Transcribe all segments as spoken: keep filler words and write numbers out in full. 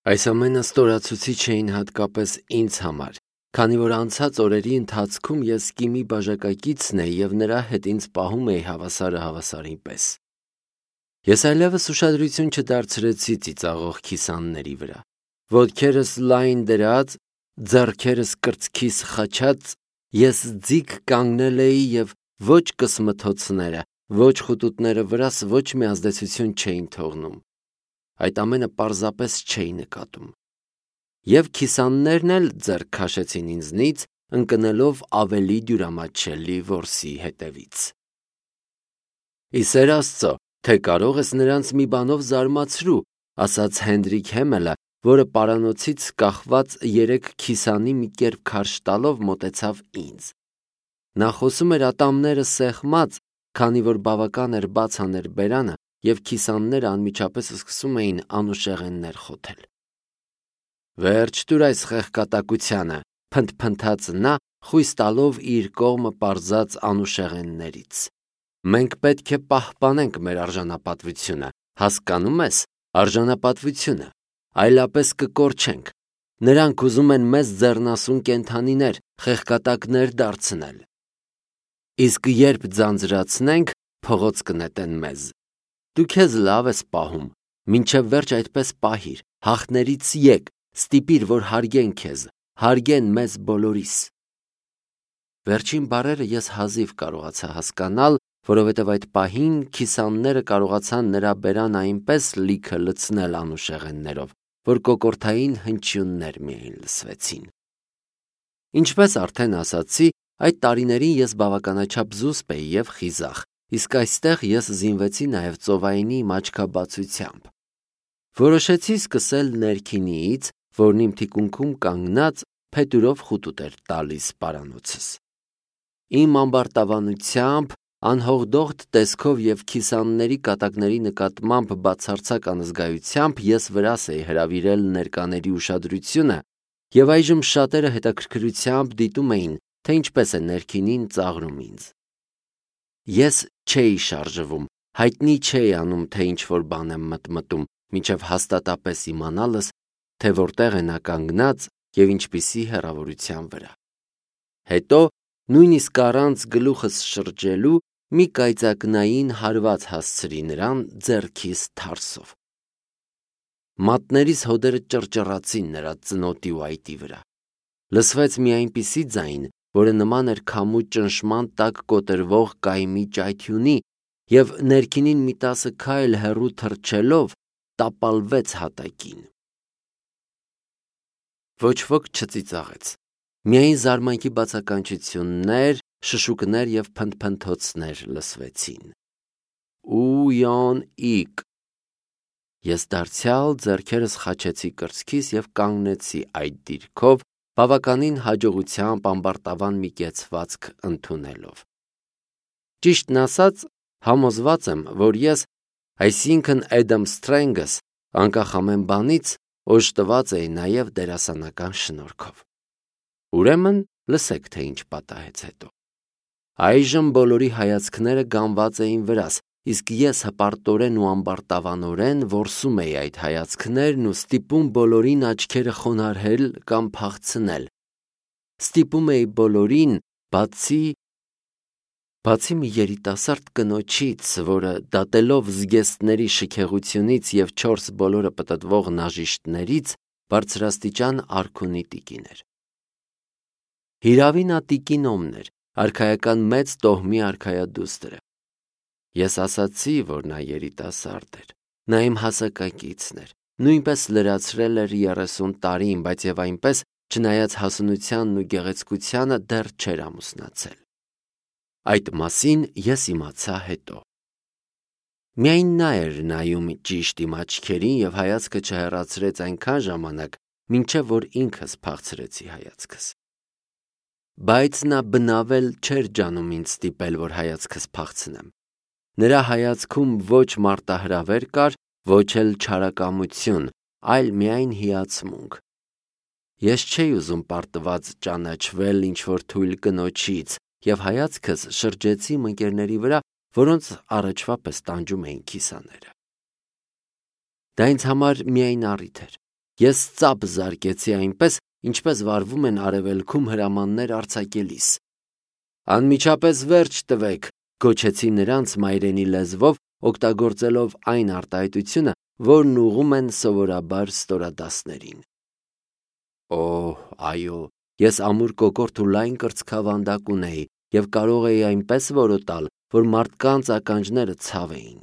Այս ամենը ստորացուցիչ էին հատկապես ինձ համար, քանի որ անցած օրերի ընթացքում ես Կիմի բաժակակիցն էի և նրա հետ ինձ պահում էի հավասարը հավասարի պես։ Ես այլևս ուշադրություն չդարձրեցի ծիծաղող քիսանների վրա։ Ոտքերս լայն դրած, ձեռքերս կրծքիս խաչած, ես ձիգ կանգնել էի և ոչ կսմթոցները, ոչ խուտուտները վրաս ոչ մի ազդեցություն չէին թողնում։ Այդ ամենը պարզապես չէի նկատում։ Եվ քիսաններն էլ ձեռք քաշեցին ինձնից, ընկնելով ավելի դյուրամատչելի որսի հետևից։ «Ի սեր Աստծո, թե կարող ես նրանց մի բանով զարմացրու», ասաց Հենրիկ Հեմելը, որը պարանոցից կախված երեք քիսանի մի կերպ քարշ տալով մոտեցավ ինձ։ Նա խոսում էր ատամները սեղմած, քանի որ բավական էր բաց աներ բերանը, և քիսանները անմիջապես սկսում էին անուշեղեններ խոթել։ «Վերջ տուր այս խեղկատակությանը», փնթփնթաց նա, խույս տալով իր կողմը պարզած անուշեղեններից։ «Մենք պետք է պահպանենք մեր արժանապատվությունը, հասկանո՞ւմ ես, արժանապատվությունը, այլապես կկորչենք։ Նրանք ուզում են մեզ ձեռնասուն կենդանիներ, խեղկատակներ դարձնել։ Իսկ երբ ձանձրացնենք, փողոց կնետեն մեզ։ Դու քեզ լավ ես պահում, մինչև վերջ այդպես պահիր, հաղթներից եկ, ստիպիր, որ հարգեն քեզ, հարգեն մեզ բոլորիս»։ Վերջին բառերը ես հազիվ կարողացա հասկանալ, որովհետև այդ պահին քիսանները կարողացան նրա բերանը այնպես լիքը լցնել անուշեղեններով, որ կոկորդային հնչյուններ միայն լսվեցին։ Ինչպես արդեն ասացի, այդ տարիներին ես բավականաչափ զուսպ էի և խիզախ, իսկ այստեղ ես զինվեցի նաև ծովայինի իմ աչքաբացությամբ։ Որոշեցի սկսել ներքինիից, որն իմ թիկունքում կանգնած փետուրով խուտուտ էր տալիս պարանոցս։ Իմ ամբարտավանությամբ, անհողդողդ տեսքով և քիսանների կատակների նկատմամբ բացարձակ անզգայությամբ ես վրաս էի հրավիրել ներկաների ուշադրությունը, և այժմ շատերը հետաքրքրությամբ դիտում էին, թե ինչպես է ներքինին ծաղրում ինձ։ Ես չէի շարժվում, հայտնի չէի անում, թե ինչ-որ բան եմ մտմտում, մինչև հաստատապես իմանալս, թե որտեղ է նա կանգնած և ինչպիսի հեռավորության վրա։ Հետո, նույնիսկ առանց գլուխս շրջելու, մի կայծակնային հարված հասցրի նրան ձեռքիս թարսով։ Մատներիս հոդերը ճռճռացին նրա ծնոտի ու այտի վրա։ Լսվեց մի այնպիսի ձայն, որը նման էր քամու ճնշման տակ կոտրվող կայմի ճայթյունի, և ներքինին մի տասը քայլ հեռու թռչելով տապալվեց հատակին։ Ոչ ոք չծիծաղեց։ Միայն զարմանքի բացականչություններ, շշուկներ և փնթփնթոցներ լսվեցին։ «Ու-յոն-իկ»։ Ես դարձյալ ձեռքերս խաչեցի կրծքիս և կանգնեցի այդ դիրքով, բավականին հաջողությամբ ամբարտավան մի կեցվածք ընդունելով։ Ճիշտն ասած, համոզված եմ, որ ես, այսինքն Էդամ Սթրենգս, անկախ ամեն բանից, օժտված էի նաև դերասանական շնորհքով։ Ուրեմն լսեք, թե ինչ պատահեց հետո։ Այժմ բոլորի հայացքները գանված էին վրաս, իսկ ես հպարտորեն ու ամբարտավանորեն որսում էի այդ հայացքներն ու ստիպում բոլորին աչքերը խոնարհել կամ փախցնել։ Ստիպում էի բոլորին, բացի… բացի մի երիտասարդ կնոջից, որը դատելով զգեստների շքեղությունից և չորս բոլորը պտտվող նաժիշտներից, բարձրաստիճան արքունի տիկին էր։ Հիրավի նա տիկինոմն էր, արքայական մեծ տոհմի արքայադուստրը։ Ես ասացի, որ նա երիտասարդ էր, նա իմ հասակակիցն էր, նույնպես լրացրել էր երեսուն տարին, բայց և այնպես, չնայած հասունությանն ու գեղեցկությանը, դեռ չէր ամուսնացել։ Այդ մասին ես իմացա հետո։ Միայն նա էր նայում ճիշտ իմ աչքերին և հայացքը չհեռացրեց այնքան ժամանակ, մինչև որ ինքս փախցրեցի հայացքս։ Բայց նա բնավել չէր ջանում ինձ ստիպել, որ հայացքս փախցնեմ։ Նրա հայացքում ոչ մարտահրավեր կար, ոչ էլ չարակամություն, այլ միայն հիացմունք։ Ես չէի ուզում պարտված ճանաչվել ինչ-որ թույլ կնոջից և հայացքս շրջեցի իմ ընկերների վրա, որոնց առաջվա պես տանջում էին քիսաները։ Դա ինձ համար միայն առիթ էր, Ես ծափ զարկեցի այնպես, ինչպես վարվում են արևելքում հրամաններ արձակելիս։ Անմիջապես վերջ տվեք, գոչեցի նրանց մայրենի լեզվով, օգտագործելով այն արտահայտությունը, որն ուղում են սովորաբար ստորադասներին։ Օհ, այո, ես ամուր կոկորդ ու լայն կրծքավանդակ ունեի և կարող էի այնպես որոտալ, որ մարդկանց ականջները ցավ էին։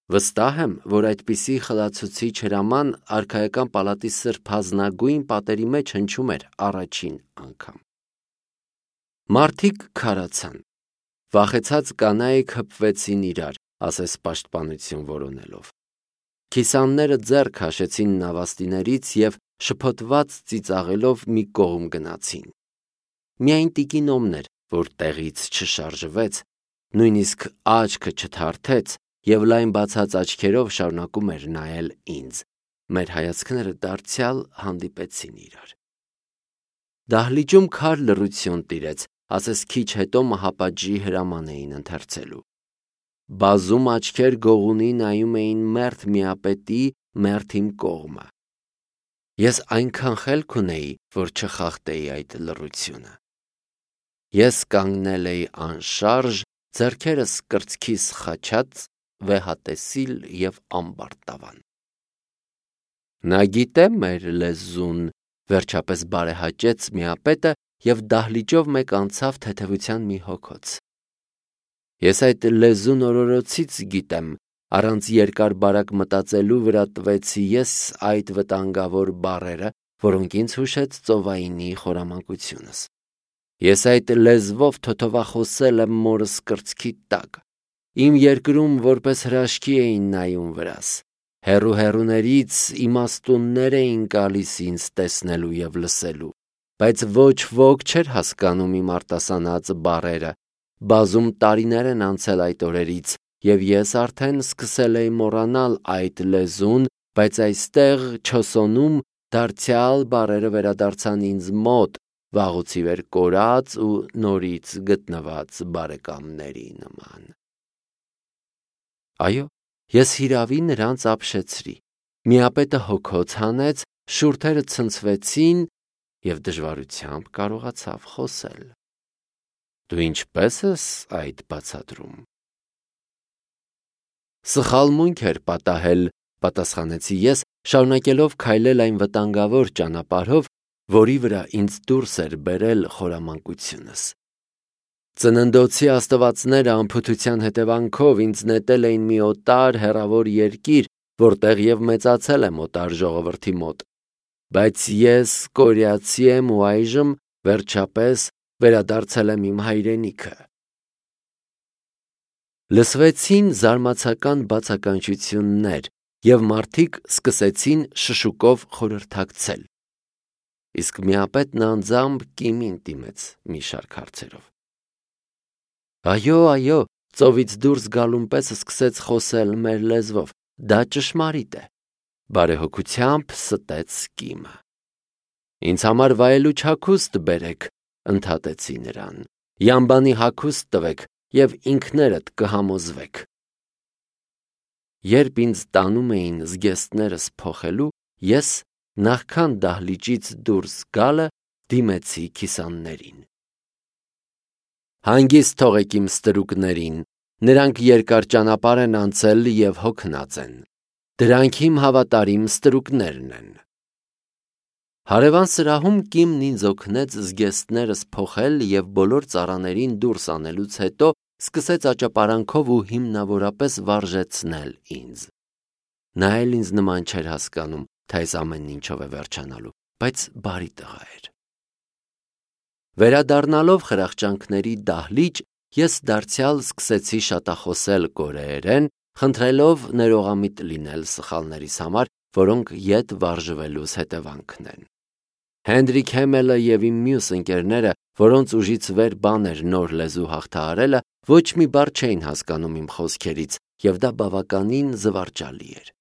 Վստահ եմ, որ այդպիսի խլացուցիչ հրաման արքայական պալատի սրբազնագույն պատերի մեջ հնչում էր առաջին անգամ։ Մարդիկ քարացան։ Վախեցած կանայք հպվեցին իրար, ասես պաշտպանություն որոնելով։ Քիսանները ձեռք հաշեցին նավաստիներից և շփոթված ծիծաղելով մի կողմ գնացին։ Միայն տիկին էր, որ տեղից չշարժվեց, նույնիսկ աչքը չթարթեց և լայն բացած աչքերով շարունակում էր նայել ինձ։ Մեր հայացքները դարձյալ հանդիպեցին իրար։ Դահլիճում քար լռություն տիրեց, ասես քիչ հետո մահապատժի հրաման էին ընթերցելու։ Բազում աչքեր գողունի նայում էին մերթ միապետի մերթ իմ կողմը։ Ես այնքան խելք ունեի, որ չխախտեի այդ լռությունը։ Ես կանգնել էի անշարժ, ձեռքերս կրծքիս խաչած, վեհատեսիլ և ամբարտավան։ Նա գիտե մեր լեզուն, վերջապես բարեհաճեց միապետը և դահլիճով մեկ անցավ թեթևության մի հոգոց։ Ես այդ լեզուն օրորոցից գիտեմ, առանց երկար-բարակ մտածելու վրա տվեցի ես այդ վտանգավոր բառերը, որոնք ինձ հուշեց ծովայինի խորամանկությունս։ Ես այդ լեզվով թոթովախոսել եմ մորս կրծքի տակ։ Իմ երկրում որպես հրաշքի էին նայում վրաս։ Հեռու-հեռուներից իմաստուններ էին գալիս ինձ տեսնելու և լսելու, բայց ոչ ոք չէր հասկանում իմ արտասանած բառերը։ Բազում տարիներ են անցել այդ օրերից, և ես արդեն սկսել էի մոռանալ այդ լեզուն, բայց այստեղ Չոսոնում դարձյալ բառերը վերադարձան ինձ մոտ, վաղուց ի վեր կորած ու նորից գտնված բարեկամների նման։ Այո, ես հիրավի նրանց ապշեցրի։ Միապետը հոգոց հանեց, շուրթերը ցնցվեցին և դժվարությամբ կարողացավ խոսել։ Դու ինչպե՞ս ես այդ բացատրում։ Սխալմունք էր պատահել, պատասխանեցի ես, շարունակելով քայլել այն վտանգավոր ճանապարհով, որի վրա ինձ դուրս էր բերել խորամանկությունս։ Ծննդոցի աստվածները անփութության հետևանքով ինձ նետել էին մի օտար հեռավոր երկիր, որտեղ և մեծացել եմ օտար ժողովրդի մոտ, բայց ես կորեացի եմ ու այժմ, վերջապես, վերադարձել եմ իմ հայրենիքը։ Լսվեցին զարմացական բացականչություններ, և մարդիկ սկսեցին շշուկով խորհրդակցել։ Իսկ միապետն անձամբ կիմին դիմեց մի շարք հարցերով։ Այո, այո, ծովից դուրս գալուն պես սկսեց խոսել մեր լեզվով, դա ճշմարիտ է, բարեհոգությամբ ստեց կիմը։ Ինձ համար վայելուչ հագուստ բերեք, ընդհատեցի նրան, յամբանի հագուստ տվեք և ինքներդ կհամոզվեք։ Երբ ինձ տանում էին զգեստներս փոխելու, ես, նախքան դահլիճից դուրս գալը, դիմեցի քիսաններին։ Հանգիստ թողեք իմ ստրուկներին, նրանք երկար ճանապարհ են անցել և հոգնած են։ Դրանք իմ հավատարիմ ստրուկներն են։ Հարևան սրահում կիմն ինձ օգնեց զգեստներս փոխել և բոլոր ծառաներին դուրս անելուց հետո սկսեց աճապարանքով ու հիմնավորապես վարժեցնել ինձ։ Նա էլ ինձ նման չէր հասկանում, թե այս ամենն ինչով է վերջանալու, բայց բարի տղա էր։ Վերադառնալով խրախճանքների դահլիճ, ես դարձյալ սկսեցի շատախոսել կորեերեն, խնդրելով ներողամիտ լինել սխալներիս համար, որոնք ետ վարժվելուս հետևանքն են։ Հենրիկ Հեմելը և իմ մյուս ընկերները, որոնց ուժից վեր բան էր նոր լեզու հաղթահարելը, ոչ մի բառ չէին հասկանում իմ խոսքերից, և դա բավականին զվարճալի էր։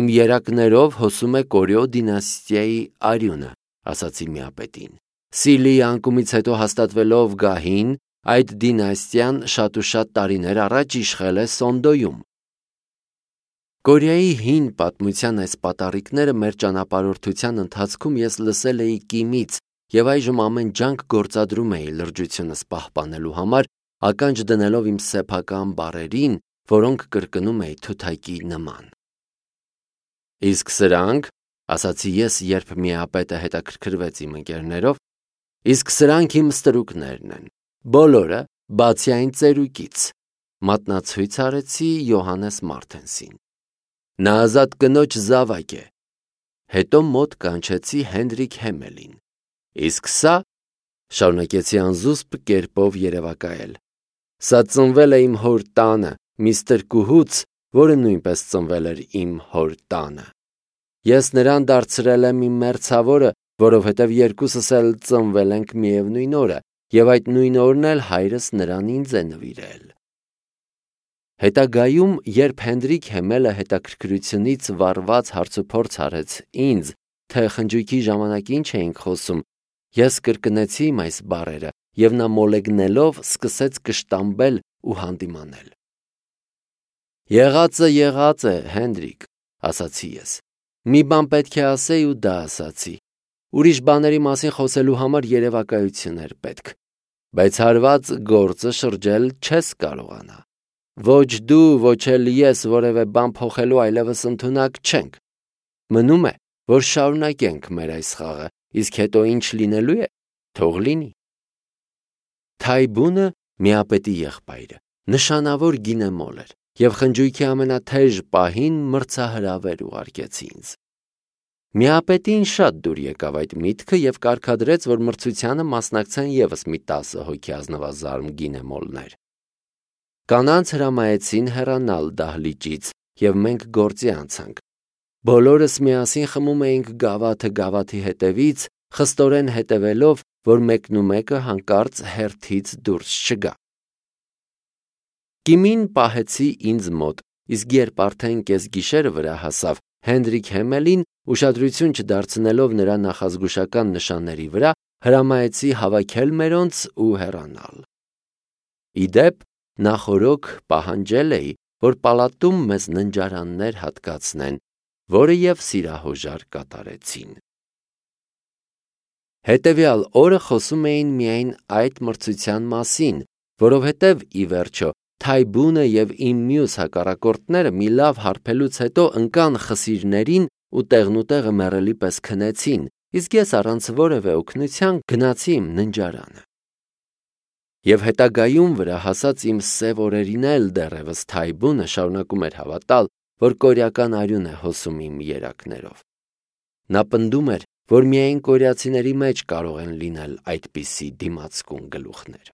Իմ երակներով հոսում է Կորեո դինաստիայի արյունը, ասացի միապետին։ Սիլիի անկումից հետո հաստատվելով գահին, այդ դինաստիան շատ ու շատ տարիներ առաջ իշխել է Սոնդոյում։ Կորեայի հին պատմության այս պատառիկները մեր ճանապարհորդության ընթացքում ես լսել էի Կիմից եւ այժմ ամեն ջանք գործադրում էի լրջությունս պահպանելու համար, ականջ դնելով իմ սեփական բառերին, որոնք կրկնում էի թութակի նման։ Իսկ սրանք, ասացի ես, երբ միապետը հետաքրքրվեց իմ ընկերներով, իսկ սրանք իմ ստրուկներն են, բոլորը, բացի այն ծերուկից, մատնացույց արեցի Յոհաննես Մարտենսին։ Նա ազատ կնոջ զավակ է։ Հետո մոտ կանչեցի Հենրիկ Հեմելին։ Իսկ սա, շարունակեցի անզուսպ կերպով երևակայել, սա ծնվել է իմ հոր տանը, միստր Կուհուց, որը նույնպես ծնվել էր իմ հոր տանը։ Ես նրան դարձրել եմ իմ մերձավորը, որովհետև երկուսս էլ ծնվել ենք միևնույն օրը, եւ այդ նույն օրն էլ հայրս նրան ինձ է նվիրել։ Հետագայում, երբ Հենրիկ Հեմելը հետաքրքրությունից վառված հարցուփորձ արեց ինձ, թե խնջույքի ժամանակ ինչ էինք խոսում, ես կրկնեցի իմ այս բառերը, եւ նա մոլեգնելով սկսեց կշտամբել ու հանդիմանել։ Եղածը եղած է, Հենրիկ, ասացի ես։ Մի բան պետք է ասեի ու դա ասացի։ Ուրիշ բաների մասին խոսելու համար երևակայություն էր պետք, բայց հարված գործը շրջել չես կարողանա։ Ոչ դու, ոչ էլ ես որևէ բան փոխելու այլևս ընդունակ չենք։ Մնում է, որ շարունակենք մեր այս խաղը, իսկ հետո ինչ լինելու է, թող լինի։ Թայբունը միապետի եղբայրը, նշանավոր գինեմոլ էր, եւ խնջույքի ամենաթեժ պահին մրցահրավեր ուղարկեց ինձ։ Միապետին շատ դուր եկավ այդ միտքը եւ կարգադրեց, որ մրցությանը մասնակցեն եւս մի տասը հոգի ազնվազարմ գինեմոլներ։ Կանանց հրամայեցին հեռանալ դահլիճից, եւ մենք գործի անցանք։ Բոլորս միասին խմում էինք գավաթը գավաթի հետևից, խստորեն հետևելով, որ մեկնումեկը հանկարծ հերթից դուրս չգա։ Կիմին պահեցի ինձ մոտ, իսկ երբ արդեն կեսգիշերը վրա հասավ, Հենրիկ Հեմելին, ուշադրություն չդարձնելով նրա նախազգուշական նշանների վրա, հրամայեցի հավաքել մերոնց ու հեռանալ։ Իդեպ, նախորոք պահանջել էի, որ պալատում մեզ ննջարաններ հատկացնեն, որը եւ սիրահոժար կատարեցին։ Հետևյալ օրը խոսում էին միայն այդ մրցության մասին, որովհետև ի վերջո Թայբունը եւ իմ մյուս հակառակորդները մի լավ հարբելուց հետո ընկան խսիրներին ու տեղնուտեղը մեռելի պես քնեցին, իսկ ես առանց որևէ օգնության գնացի իմ ննջարանը։ Եվ հետագայում վրա հասած իմ սև օրերին էլ դեռևս Թայբունը շարունակում էր հավատալ, որ կորեական արյուն է հոսում իմ երակներով։ Նա պնդում էր, որ միայն կորեացիների մեջ կարող են լինել այդպիսի դիմացկուն գլուխներ։